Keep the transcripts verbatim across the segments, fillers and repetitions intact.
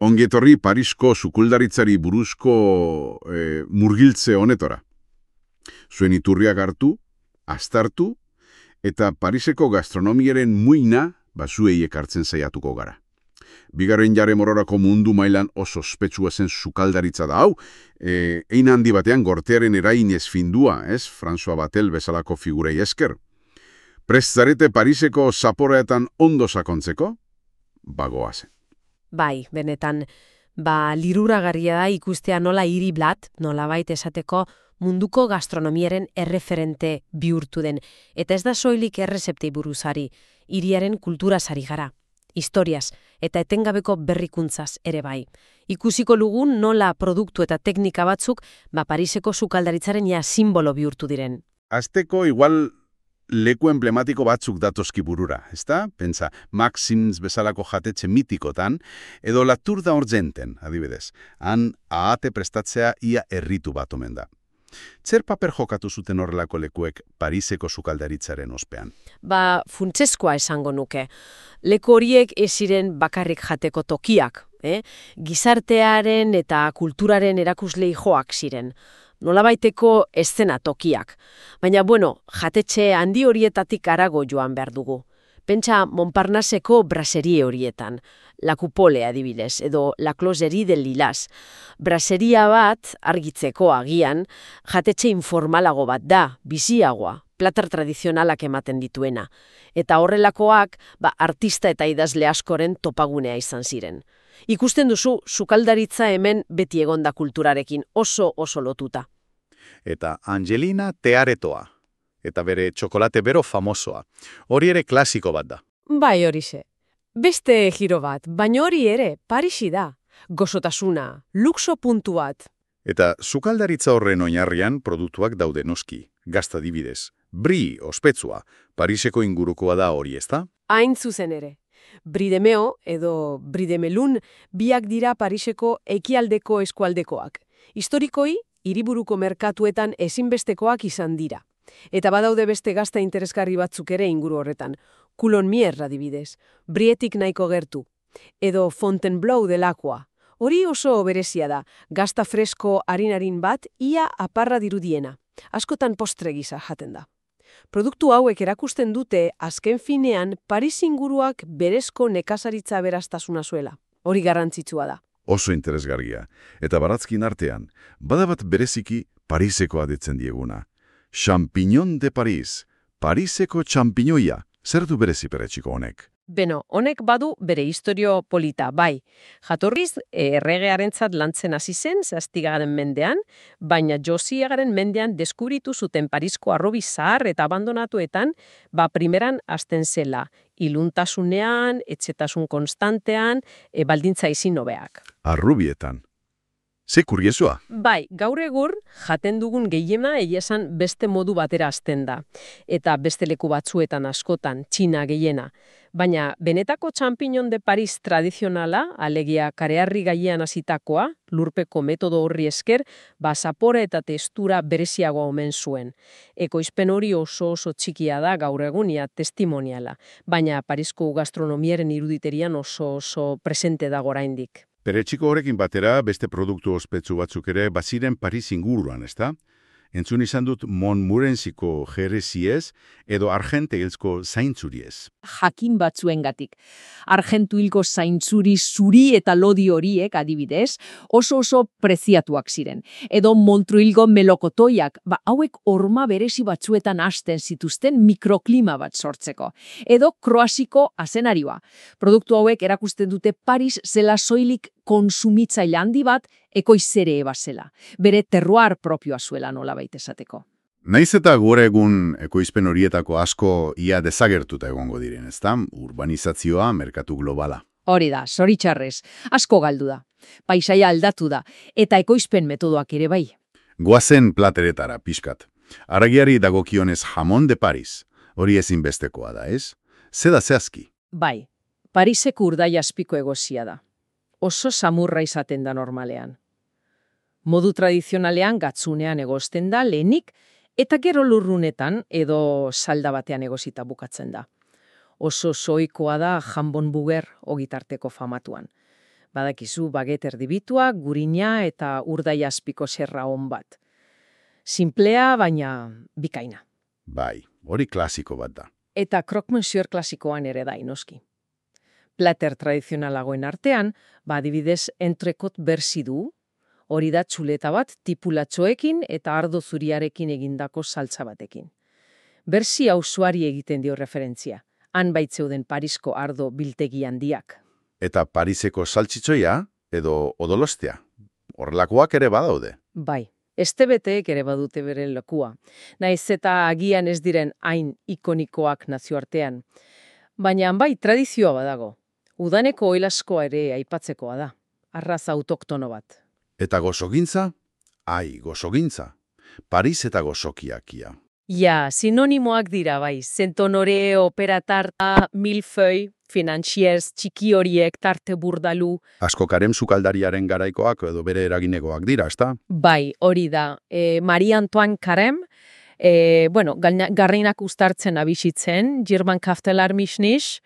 Ongietorri Parisko sukuldaritzari buruzko e, murgiltze honetora. Zuen iturriak hartu, aztartu, eta Pariseko gastronomiaren muina bazuei ekartzen saiatuko gara. Bigarren jare mororako mundu mailan oso ospetsua zen sukaldaritza da hau, e, ein handi batean gortearen erain ezfindua, ez, François Batel bezalako figurei esker. Prest zarete Pariseko zaporeetan ondo sakontzeko? Bagoazen. Bai, benetan, ba, liruragarria da ikustea nola hiri blat, nolabait esateko munduko gastronomiaren erreferente bihurtu den. Eta ez da soilik errezeptei buruzari, hiriaren kulturazari gara, historiaz eta etengabeko berrikuntzaz ere bai. Ikusiko lugun nola produktu eta teknika batzuk ba Pariseko sukaldaritzaren ja simbolo bihurtu diren. Azteko igual leku emblematiko batzuk datozki burura, ezta? Pentsa, Maxims bezalako jatetxe mitikotan, edo La Tour d'Argenten, adibidez. Han ahate prestatzea ia erritu bat omen da. Zer paper jokatu zuten horrelako lekuek Pariseko sukaldaritzaren ospean? Ba, funtseskoa esango nuke. Leku horiek ez ziren bakarrik jateko tokiak, eh? Gizartearen eta kulturaren erakuslei joak ziren. Nolabaiteko eszena tokiak. Baina, bueno, jatetxe handi horietatik harago joan behar dugu. Pentsa Montparnasseko braserie horietan, La Coupole adibidez, edo La Closerie del Lilas. Braseria bat, argitzeko agian, jatetxe informalago bat da, biziagoa, plater tradizionalak ematen dituena. Eta horrelakoak, ba, artista eta idazle askoren topagunea izan ziren. Ikusten duzu, sukaldaritza hemen beti egonda kulturarekin oso oso lotuta. Eta Angelina Tearetoa, eta bere txokolate bero famosoa. Hori ere klasiko bat da. Bai horixe. Beste giro bat, baina hori ere, Parisi da. Gozotasuna, luxo puntu bat. Eta sukaldaritza horren oinarrian produktuak daude noski. Gazta adibidez. Brie, ospetsua, Pariseko ingurukoa da hori, ezta? Hain zuzen ere. Brie de Meo edo Brie de Melun biak dira Pariseko ekialdeko eskualdekoak. Historikoi, hiriburuko merkatuetan ezinbestekoak izan dira. Eta badaude beste gazta interesgarri batzuk ere inguru horretan. Coulon Mier adibidez, Brietik nahiko gertu. Edo Fontainebleau delakoa. Hori oso berezia da, gazta fresko harinarin bat ia aparra dirudiena. Askotan postre gisa jaten da. Produktu hauek erakusten dute azken finean Paris inguruak berezko nekazaritza aberastasuna zuela. Hori garrantzitsua da. Oso interesgarria. Eta baratzkin artean, badabat bereziki Parisekoa detzen dieguna. Champignon de Paris, Pariseko txampinoia. Zer du berezi peretsiko honek? Beno, honek badu bere historio polita, bai. Jatorriz, erregearentzat lantzen hasi zen, zaztigaren mendean, baina Josiagaren mendean deskubritu zuten Parisko arrobi zahar eta abandonatuetan, ba primeran hasten zela, iluntasunean, etxetasun konstantean, e, baldintza izin hobeak. Arrubietan. Ze kuriesua? Bai, gaur egur jaten dugun gehiena egia esan beste modu batera hasten da. Eta beste leku batzuetan askotan, Txina gehiena. Baina benetako Champignon de Paris tradizionala, alegia kareharri gainean hasitakoa, lurpeko metodo horri esker, ba zapore eta testura bereziagoa omen zuen. Ekoizpen hori oso oso txikia da gaur egunia testimoniala, baina Parisko gastronomiaren iruditerian oso oso presente dago oraindik. Peretsiko horrekin batera beste produktu ospetsu batzuk ere baziren Paris inguruan, ezta? Entzun izan dut Montmorencyko jereziez edo Argenteilzko zaintzuriez. Jakin batzuengatik. Argentuilko zaintzuri zuri eta lodi horiek adibidez oso oso preziatuak ziren. Edo Montruilgo melokotoiak, ba hauek horma berezi batzuetan hasten zituzten mikroklima bat sortzeko. Edo Kroaziko azenarioa. Produktu hauek erakusten dute Paris zela soilik konsumitzaile handi bat ekoizere ebazela. Bere terroir propioa zuela nolabait esateko. Naiz eta gure egun ekoizpen horietako asko ia desagertuta egongo diren, ezta? Urbanizazioa, merkatu globala. Hori da, zoritxarrez, asko galdu da. Paisaia aldatu da, eta ekoizpen metodoak ere bai. Goazen plateretara, pixkat. Aragiari dagokionez jamon de Paris. Hori ezinbestekoa da, ez? Zeda zehazki. Bai, Pariseko urdai azpiko egozia da. Oso samurra izaten da normalean. Modu tradizionalean gatzunean egozten da lehenik, eta gero lurrunetan edo salda batean egozita bukatzen da. Oso soikoa da jambon buger ogitarteko famatuan. Badakizu baget erdibitua, gurina eta urdai azpiko serra on bat. Simplea, baina bikaina. Bai, hori klasiko bat da. Eta croque monsieur klasikoan ere da, inoski. Plater tradizionalagoen artean, ba adibidez entrekot berzi du, hori da txuleta bat tipulatxoekin eta ardo zuriarekin egindako saltza batekin. Berzi auzoari egiten dio referentzia, han baitzeuden Parisko ardo biltegi handiak. Eta Pariseko saltxitxoia edo odolostea. Horrelakoak ere badaude. Bai, estebeteek ere badute beren lekua. Naiz eta agian ez diren hain ikonikoak nazioartean. Baina bai tradizioa badago. Udaneko oilaskoa ere aipatzekoa da. Arraza autoktono bat. Eta gozogintza? Ai, gozogintza. Paris eta gozokiakia. Ja, sinonimoak dira bai. Zentonore, opera tarta, milföi, finanziers, txiki horiek, tarte burdalu. Asko karem sukaldariaren garaikoak edo bere eraginekoak dira, ezta? Bai, hori da. E, Marie Antoine Carême, e, bueno, garrinak ustartzen abizitzen, German Kaftelar Mischnisch,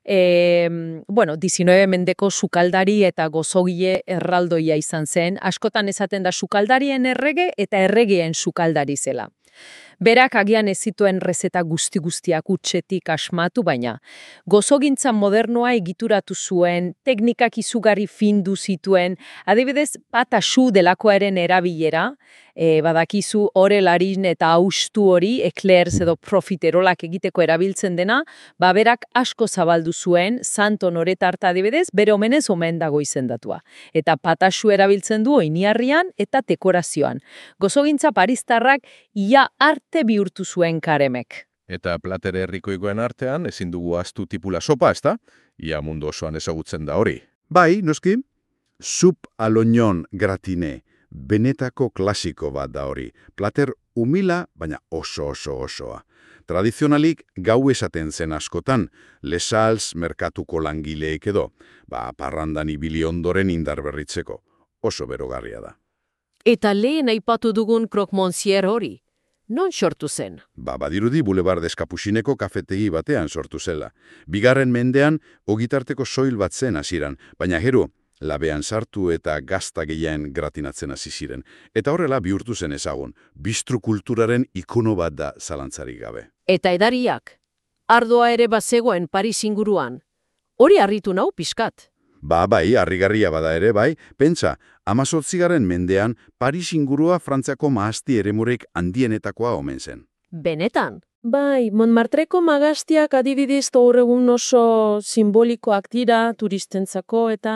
e, bueno, diecinueve mendeko sukaldari eta gozogile erraldoia izan zen. Askotan esaten da sukaldarien errege eta erregeen sukaldari zela. Berak agian ez zituen rezeta guzti-guztiak utxetik asmatu, baina gozogintza modernoa egituratu zuen, teknikak izugarri findu zituen, adibidez patasu delakoaren erabilera, e, badakizu orelarin eta austu hori, eclairs edo profiterolak egiteko erabiltzen dena, ba berak asko zabaldu zuen, santo noretarta adibidez, bere omenez omen dago izendatua. Eta patasu erabiltzen du oiniarrian eta dekorazioan. Gozogintza paristarrak ia arte bihurtu zuen Caremek. Eta plater herrikoikoen artean ezin dugu ahaztu tipula sopa, ezta? Ia mundu osoan ezagutzen da hori. Bai, noski. Sup aloñon gratine. Benetako klasiko bat da hori. Plater humila, baina oso oso osoa. Tradizionalik gau esaten zen askotan, lesals merkatuko langileek edo, ba parrandan ibili ondoren indar berritzeko. Oso berogarria da. Eta lehen aipatu dugun croque monsieur hori. Non sortu zen? Ba, badirudi Boulevard Escapucineko kafetegi batean sortu zela. Bigarren mendean, ogitarteko soil bat zen hasieran, baina gero, labean sartu eta gazta gehiagen gratinatzen hasi ziren. Eta horrela bihurtu zen ezagun, bistro kulturaren ikono bat da zalantzarik gabe. Eta edariak, ardoa ere bazegoen Paris inguruan. Hori harritu nau pixkat. Ba, bai, harrigarria bada ere, bai, pentsa, amazortzigaren mendean, Paris ingurua Frantziako mahasti eremurek handienetakoa omen zen. Benetan? Bai, Montmartreko magaztiak adibidez gaur egun oso simbolikoak dira turistentzako eta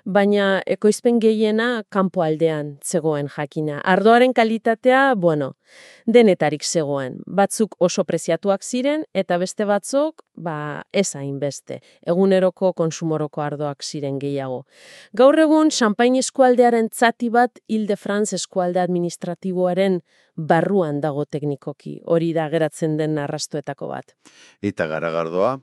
baina ekoizpen gehiena kanpo aldean zegoen jakina. Ardoaren kalitatea, bueno, denetarik zegoen. Batzuk oso preziatuak ziren eta beste batzuk, ba, ez hainbeste. Eguneroko konsumoroko ardoak ziren gehiago. Gaur egun Champagne eskualdearen zati bat Ile-de-France eskualde administratiboaren barruan dago teknikoki. Hori da geratzen den arrastoetako bat. Eta garagardoa?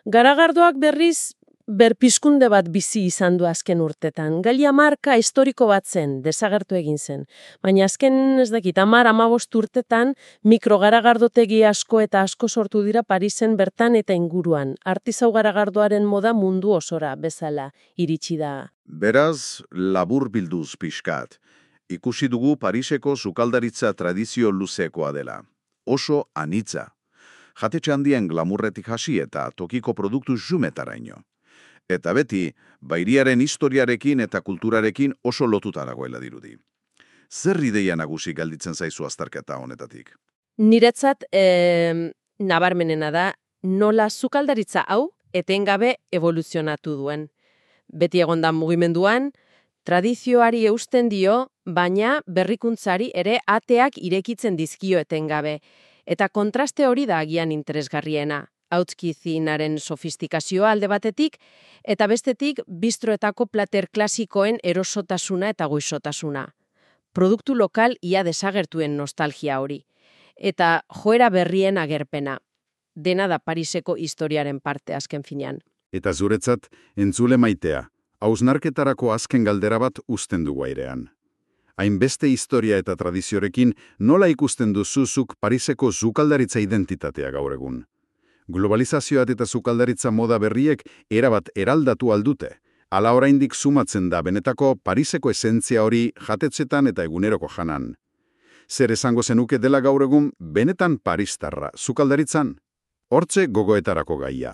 Garagardoak berriz berpizkunde bat bizi izan du azken urtetan. Galia marka historiko bat zen, desagertu egin zen. Baina azken ez dakit, hamar hamabost urtetan mikrogaragardategi asko eta asko sortu dira Parisen bertan eta inguruan. Artisau garagardoaren moda mundu osora bezala iritsi da. Beraz, labur bilduz pixkat. Ikusi dugu Pariseko sukaldaritza tradizio luzekoa dela. Oso anitza. Jatetxe handien glamurretik hasi eta tokiko produktu xumetaraino. Eta beti, bairiaren historiarekin eta kulturarekin oso lotuta dagoela dirudi. Zer ideia nagusi galditzen zaizu azterketa honetatik? Niretzat, eh, nabarmenena da, nola sukaldaritza hau etengabe evoluzionatu duen. Beti egonda mugimenduan, tradizioari eusten dio, baina berrikuntzari ere ateak irekitzen dizkio etengabe. Eta kontraste hori da agian interesgarriena. Hautzkizinaren sofistikazioa alde batetik, eta bestetik bistroetako plater klasikoen erosotasuna eta goizotasuna. Produktu lokal ia desagertuen nostalgia hori. Eta joera berrien agerpena. Dena da Pariseko historiaren parte azken finean. Eta zuretzat, entzule maitea, hausnarketarako azken galdera bat uzten dugu airean. Hainbeste historia eta tradiziorekin nola ikusten duzuzuk Pariseko sukaldaritza identitatea gaur egun? Globalizazioat eta sukaldaritza moda berriek erabat eraldatu aldute, Ala oraindik sumatzen da benetako Pariseko esentzia hori jatetzetan eta eguneroko janan. Zer esango zenuke dela gaur egun benetan paristarra, sukaldaritzan? Hortze gogoetarako gaia.